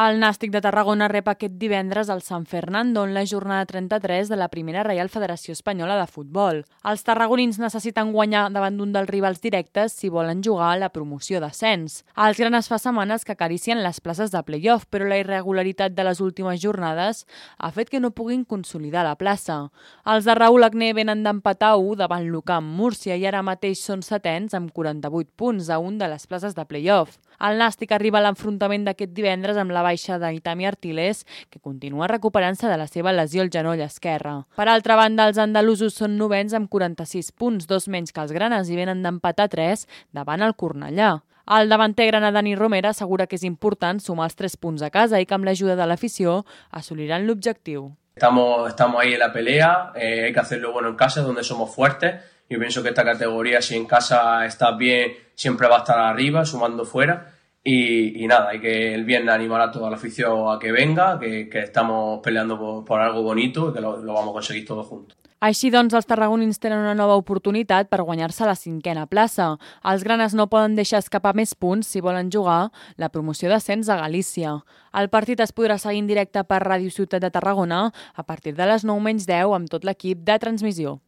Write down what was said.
El Nàstic de Tarragona rep aquest divendres al San Fernando en la jornada 33 de la primera Reial Federació Espanyola de Futbol. Els tarragonins necessiten guanyar davant d'un dels rivals directes si volen jugar a la promoció d'ascens. Els granes fa setmanes que acaricien les places de play-off, però la irregularitat de les últimes jornades ha fet que no puguin consolidar la plaça. Els de Raúl Agné venen d'empatar 1 davant l'UCAM Múrcia i ara mateix són setens amb 48 punts a un de les places de play-off. El Nàstic arriba a l'enfrontament d'aquest divendres amb la baixa d'Itami Artilés, que continua recuperant-se de la seva lesió al genoll esquerre. Per altra banda, els andalusos són novens amb 46 punts, 2 menys que els granes, i venen d'empatar 3 davant el Cornellà. El davanter grana Dani Romera assegura que és important sumar els 3 punts a casa i que amb l'ajuda de l'afició assoliran l'objectiu. Estamos ahí en la pelea, hay que hacerlo bueno en casa, donde somos fuertes. Yo pienso que esta categoría, si en casa estás bien, siempre va a estar arriba, sumando fuera. Y nada, hay que el viernes animar a toda la afición a que venga, que estamos peleando por algo bonito y que lo vamos a conseguir todos juntos. Així doncs, els tarragonins tenen una nova oportunitat per guanyar-se la 5a plaça. Els granes no poden deixar escapar més punts si volen jugar la promoció d'ascens a Galícia. El partit es podrà seguir en directe per Ràdio Ciutat de Tarragona a partir de les 9:10 amb tot l'equip de transmissió.